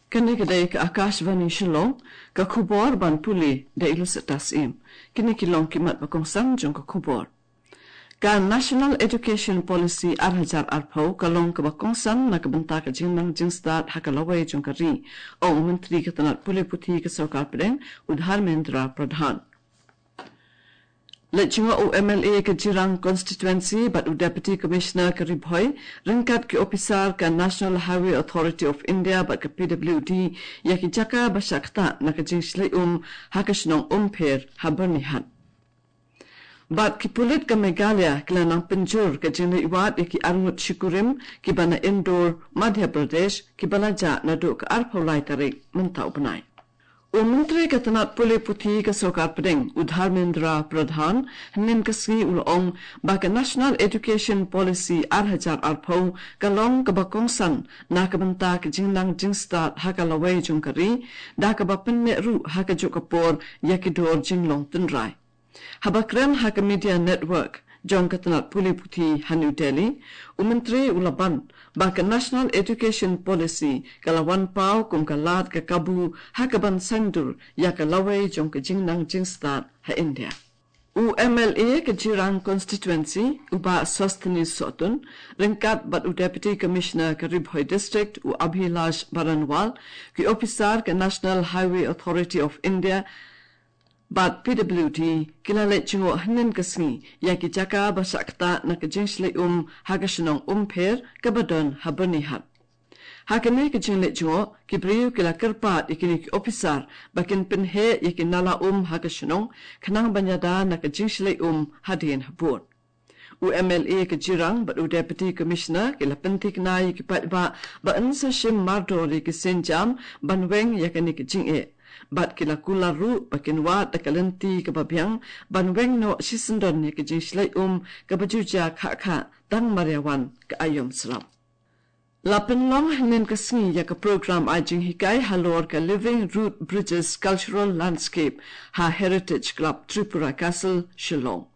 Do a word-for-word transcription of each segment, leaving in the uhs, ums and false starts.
Kane ka dei ka Akashvani Shillong, ka khubor ban pule da i Lucetta Syiem. Kine ki long ki mat ba kongsan jong ka khubor. Ka National Education Policy ar hajar arphew ka long kaba kongsan na ka bynta ka jingnang jingstad ha ka lawei jong ka ri, ong u Myntri ka tnat pule puthi ka Sorkar Pdeng, u Dharmendra Pradhan. Leit jngoh u M L A ka Jirang Constituency bad u Deputy Commissioner ka Ri Bhoi ryngkat ki ophisar ka National Highway Authority of India bad ka P W D ïa ki jaka ba shah ktah na ka jingshlei um ha ka shnong Umpher ha Byrnihat. Bad ki pulit ka Meghalaya ki la nang pynjur ka jingleit wad ïa ki arngut shi kurim kiba na Indore, Madhya Pradesh, kiba la jah naduh ka arphew lai tarik mynta u bnai. U Myntri ka tnat pule puthi ka Sorkar Pdeng, u Dharmendra Pradhan, hynnin ka sngi u la ong ba ka National Education Policy ar hajar arphew ka long kaba kongsan na ka bynta ka jingnang jingstad ha ka lawei jong ka ri, da kaba pynneh ruh ha kajuh ka por ïa ki dor jinglong tynrai. Haba kren ha ka media network jong ka tnat pule puthi ha New Delhi, u Myntri u la ban ba ka National Education Policy ka la wan paw kum ka lad ka kabu ha kaban sngewdur ïa ka lawei jong ka jingnang jingstad ha India. U M L A ka Jirang Constituency, u Bah Sosthenes Sohtun, ryngkat bad u Deputy Commissioner ka Ri Bhoi District, u Abhilash Baranwal, ki ophisar ka National Highway Authority of India bad P W D ki la leit jngoh hynnin ka sngi ïa ki jaka ba shah ktah na ka jingshlei um ha ka shnong Umpher kaba don ha Byrnihat. Ha kane ka jingleit jngoh, ki briew ki la kyrpad ïa kine ki ophisar ba kin pynheh ïa ki nala um ha ka shnong, khnang ban ïada na ka jingshlei um hadien habud. U M L A ka Jirang bad u Deputy Commissioner ki la pynthikna ïa ki paidbah ba yn sa shim mardor ïa ki sienjam ban weng ïa kane ka jingeh. Bad ki la kular ruh ba kin wad da ka lynti kaba biang ban weng noh shisyndon ïa ka jingshlei um kaba ju jia khah khah tang mar ïa wan ka aïom slap. La pynlong hynnin ka sngi ïa ka program ai jinghikai halor ka Living Root Bridges Cultural Landscape ha Heritage Club Tripura Castle, Shillong.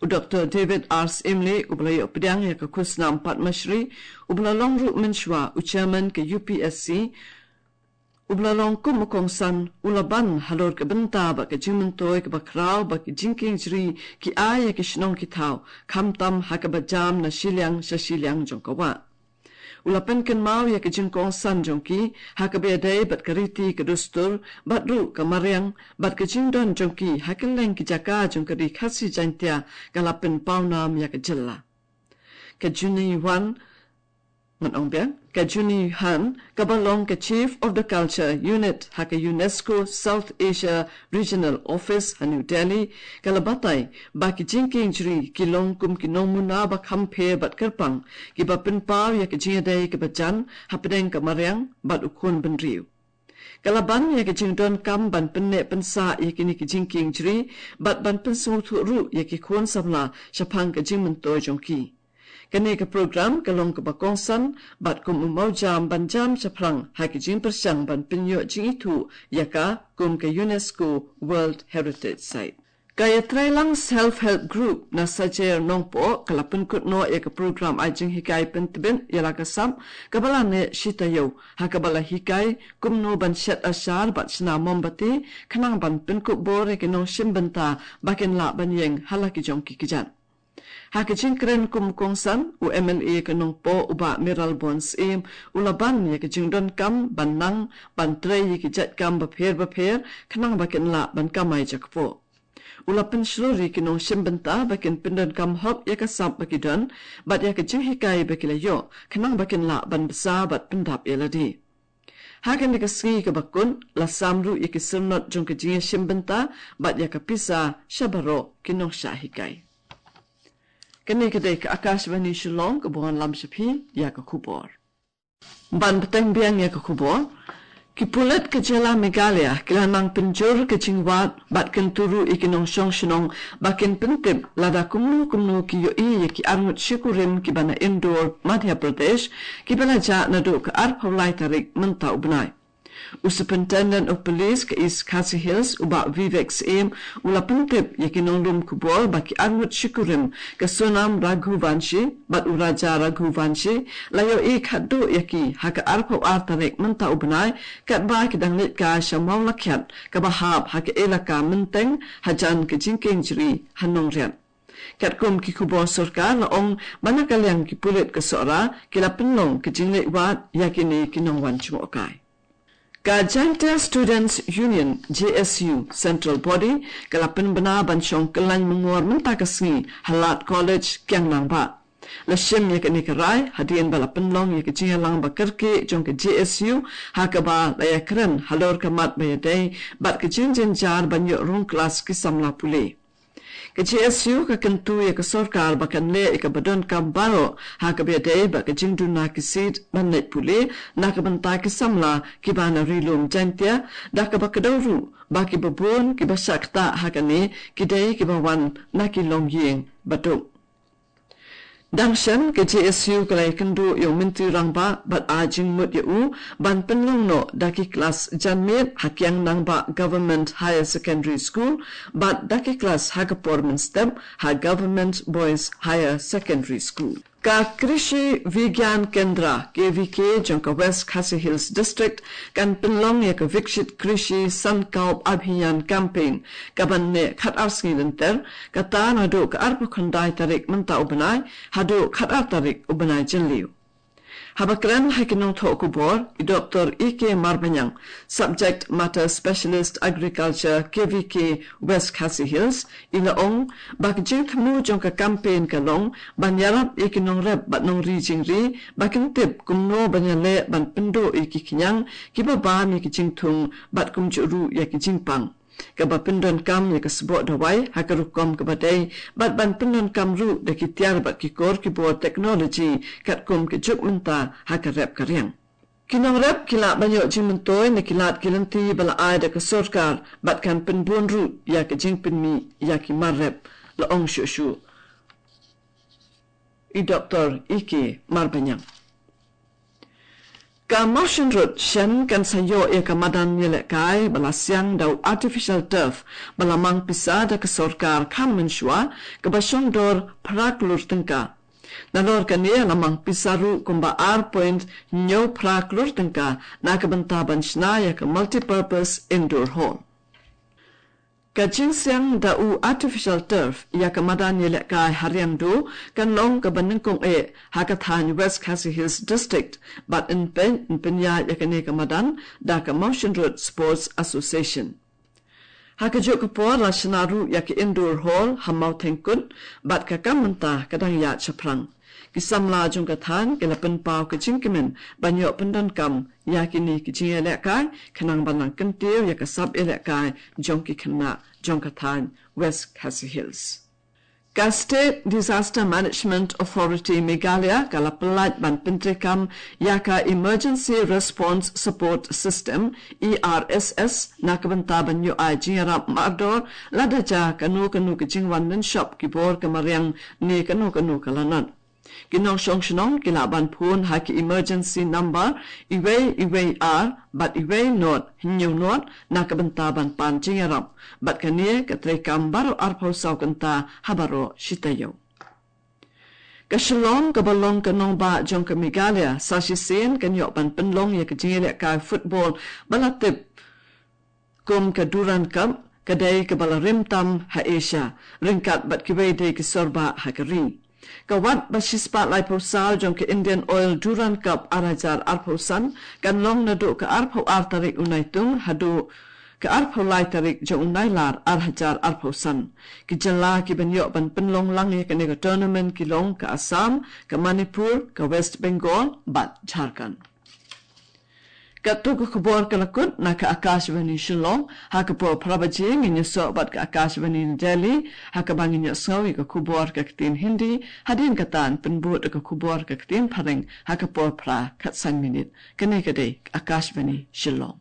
U Doctor David R Syiem, uba la ïoh pdiang ïa ka khusnam Padma Shri, uba la long ruh mynshuwa u chairman ka U P S C, uba la long kum u kongsan, u la ban halor ka bynta bad ka jingmyntoi kaba khraw bad ki jingkieng jri ki ai ïa ki shnong ki thaw, khamtam ha kaba jam na shiliang sha shiliang jong ka wah. U la pynkynmaw ïa ka jingkongsan jong ki ha kaba ïadei bad ka riti ka dustur bad ruh ka mariang bad ka jingdon jong ki ha kylleng ki jaka jong ka ri Khasi Jaiñtia ka la pynpawnam ïa ka jylla. Ka Juni Wan, ngan ong biang, ka Juni Han, kaba long ka Chief of the Culture Unit ha ka UNESCO South Asia Regional Office ha New Delhi, ka la batai ba ki jingkieng jri ki long kum ki nongmuna ba kham pher bad kyrpang, kiba pynpaw ïa ka jingïadei kaba jan hapdeng ka mariang bad u khun bynriew. Ka la ban ïa ka jingdonkam ban pynneh pynsah ïa kine ki jingkieng jri bad ban pynsngewthuh ruh ïa ki khun samla shaphang ka jingmyntoi jong ki. Kane ka program ka long kaba kongsan bad kum u mawjam ban jam shaphrang ha ki jingpyrshang ban pynïoh jingithuh ïa ka kum ka UNESCO World Heritage Site. Ka Ïatreilang Self Help Group na Sajer Nongpoh ka la pynkut noh ïa ka program ai jinghikai pyntbit ïa la ka sap kaba la neh shi taïew, ha kaba la hikai kumno ban shet ashar bad shna mombati, khnang ban pynkup bor ïa ki nongshim bynta ba kin lah ban ïeng ha la ki jong ki kjat. Ha ka jingkren kum u kongsan, u M L A ka Nongpoh, u Bah Mayralborn Syiem, u la ban ïa ka jingdonkam ban nang ban trei ïa ki jait kam bapher bapher, khnang ba kin lah ban kamai jakpoh. U la pynshlur ïa ki nongshim bynta ba kin pyndonkam hok ïa ka sap ba ki don bad ïa ka jinghikai ba ki la ïoh, khnang ba kin lah ban bsa bad pyndap ïa lade. Ha kane ka sngi kaba kut, la sam ruh ïa ki syrnod jong ka jingïashim bynta bad ïa ka pisa sha baroh ki nongshah hikai. Kane ka dei ka Akashvani Shillong kaba wanlam sha phi ïa ka khubor. Ban bteng biang ïa ka khubor, ki pulit ka jylla Meghalaya ki la nang pynjur ka jingwad bad kyntu ruh ïa ki nongshong shnong ba kin pyntip lada kumno kumno ki ïohi ïa ki arngut shi kurim kiba na Indore, Madhya Pradesh, kiba la jah naduh ka arphew lai tarik mynta u bnai. U Superintendent of Police ka East Khasi Hills, u Bah Vivek Syiem, u la pyntip ïa ki nonglum khubor ba ki arngut shi kurim, ka Sonam Raghuvanshi bad u Raja Raghuvanshi, la ïohi khatduh ïa ki ha ka arphew ar tarik mynta u bnai, katba ki dang leit kai sha Mawlakhiat, kaba hap ha ka elaka Mynteng, hajan ka jingkieng jri ha Nongriat. Katkum ki khubor sorkar la ong ba na ka liang ki pulit ka Sohra ki la pynlong ka jingleit wad ïa kine ki nongwan jngohkai. Ka Jaintia Students Union, J S U, Central Body ka la pynbna ban shong kyllaiñ myngor mynta ka sngi ha Lad College, Kiang Nangbah. La shim ïa kane ka rai hadien ba la pynlong ïa ka jingïalang ba kyrkieh jong ka J S U, ha kaba la ïakren halor ka mat ba ïadei bad ka jingjynjar ban ïoh rung klas ki samla pule. Ka J S U ka kyntu ïa ka sorkar ba kan leh ïa kaba donkam baroh ha kaba ïadei bad ka jingduna ki seat ban leit pule na ka bynta ki samla kiba na Ri Lum Jaintia, da kaba kdew ruh ba kiba bun kiba shah ktah ha kane ki dei kiba wan na ki longïing baduk. Dang shen, ka J S U ka la ïakynduh ïa u Myntri Rangbah bad ai jingmut ïa u ban pynlong noh da ki klas janmiet ha Kiang Nangbah Government Higher Secondary School bad da ki klas ha ka por mynstep ha Government Boys Higher Secondary School. Ka Krishi Vigyan Kendra, K V K, jong ka West Khasi Hills District kan pynlong ïa ka Viksit Krishi Sankalp Abhiyan Campaign, kaban neh khatar sngi lynter, kata naduh ka arphew khyndai tarik mynta u bnai haduh khatar tarik u bnai Jylliew. Haba kren ha ki nongthoh khubor, i Doktor E K Marbaniang, Subject Matter Specialist Agriculture, K V K, West Khasi Hills, i la ong ba ka jingthmu jong ka campaign ka long ban ïarap ïa ki nongrep bad nongri jingri ba kin tip kumno ban ïaleh ban pynduh ïa ki khñiang kiba bam ïa ki jingthung bad kumjuh ruh ïa ki jingpang, kaba pyndonkam ïa ka sboh dawai ha ka rukom kaba dei bad ban pyndonkam ruh da ki tiar bad ki kor ki bor technology katkum ka juk mynta ha ka rep ka riang. Ki nongrep ki lah ban ïoh jingmyntoi na ki lad ki lynti ba la ai da ka sorkar bad kan pynbun ruh ïa ka jingpynmih ïa ki mar rep, la ong shuh shuh i Doktor E K Marbaniang. Ka Mawshynrut shen kan sa ïoh ïa ka madan ïalehkai ba la siang da u artificial turf ba la mang pisa da ka sorkar kham mynshuwa, kaba shong dor phra klur tyngka. Nalor kane la mang pisa ruh kumba ar point hynñiew phra klur tyngka na ka bynta ban shna ïa ka multipurpose indoor hall. Ka jingsiang da u artificial turf ïa ka madan ïalehkai ha Riangdo kan long kaba nyngkong eh ha ka thaiñ West Khasi Hills District, bad yn pyn, yn pynïaid ïa kane ka madan da ka Mawshynrut Sports Association. Ha kajuh ka por la shna ruh ïa ka indoor hall ha Mawthengkut, bad ka kam mynta ka dang ïaid shaphrang. Ki samla jong ka thaiñ ki la pynpaw ka jingkmen ban ïoh pyndonkam ïa kine ki jingïalehkai, khnang ban nang kyntiew ïa ka sap ïalehkai jong ki khynnah jong ka thaiñ West Khasi Hills. Ka State Disaster Management Authority Meghalaya ka la pyllait ban pyntreikam ïa ka Emergency Response Support System, E R S S, na ka bynta ban ïoh ai jingïarap mardor lada jia kano kano ka jingwan lynshop ki bor ka mariang ne kano kano ka lanot. Ki nongshong shnong ki lah ban phone ha ki emergency number iwei iwei ar bad iwei not hynñiew not na ka bynta ban pan jingïarap, bad kane ka treikam baroh arphew saw kynta ha baroh shi taïew. Ka Shillong kaba long ka nongbah jong ka Meghalaya sa shisien kan ïoh ban pynlong ïa ka jingïalehkai football ba la tip kum ka Durand Cup, ka dei kaba la rim tam ha Asia, ryngkat bad kiwei de ki sor bah ha ka ri. Ka wat ba shispah laiphew saw jong ka Indian Oil Durand Cup ar hajar arphew san kan long naduh ka arphew ar tarik u Naitung haduh ka arphew lai tarik jong u Nailar ar hajar arphew san. Ki jylla kiban ïoh ban pynlong lang ïa kane ka tournament ki long ka Assam, ka Manipur, ka West Bengal bad Jharkhand. Katto ka khubor ka la kut na ka Akashvani Shillong. Ha ka por phra baje ngin ïasoh bad ka Akashvani Delhi, ha kaba ngin ïohsngew ïa ka khubor ka ktien Hindi. Hadien kata yn pynbud ka khubor ka ktien Phareng ha ka por phra khatsan minit. Kane ka dei ka Akashvani Shillong.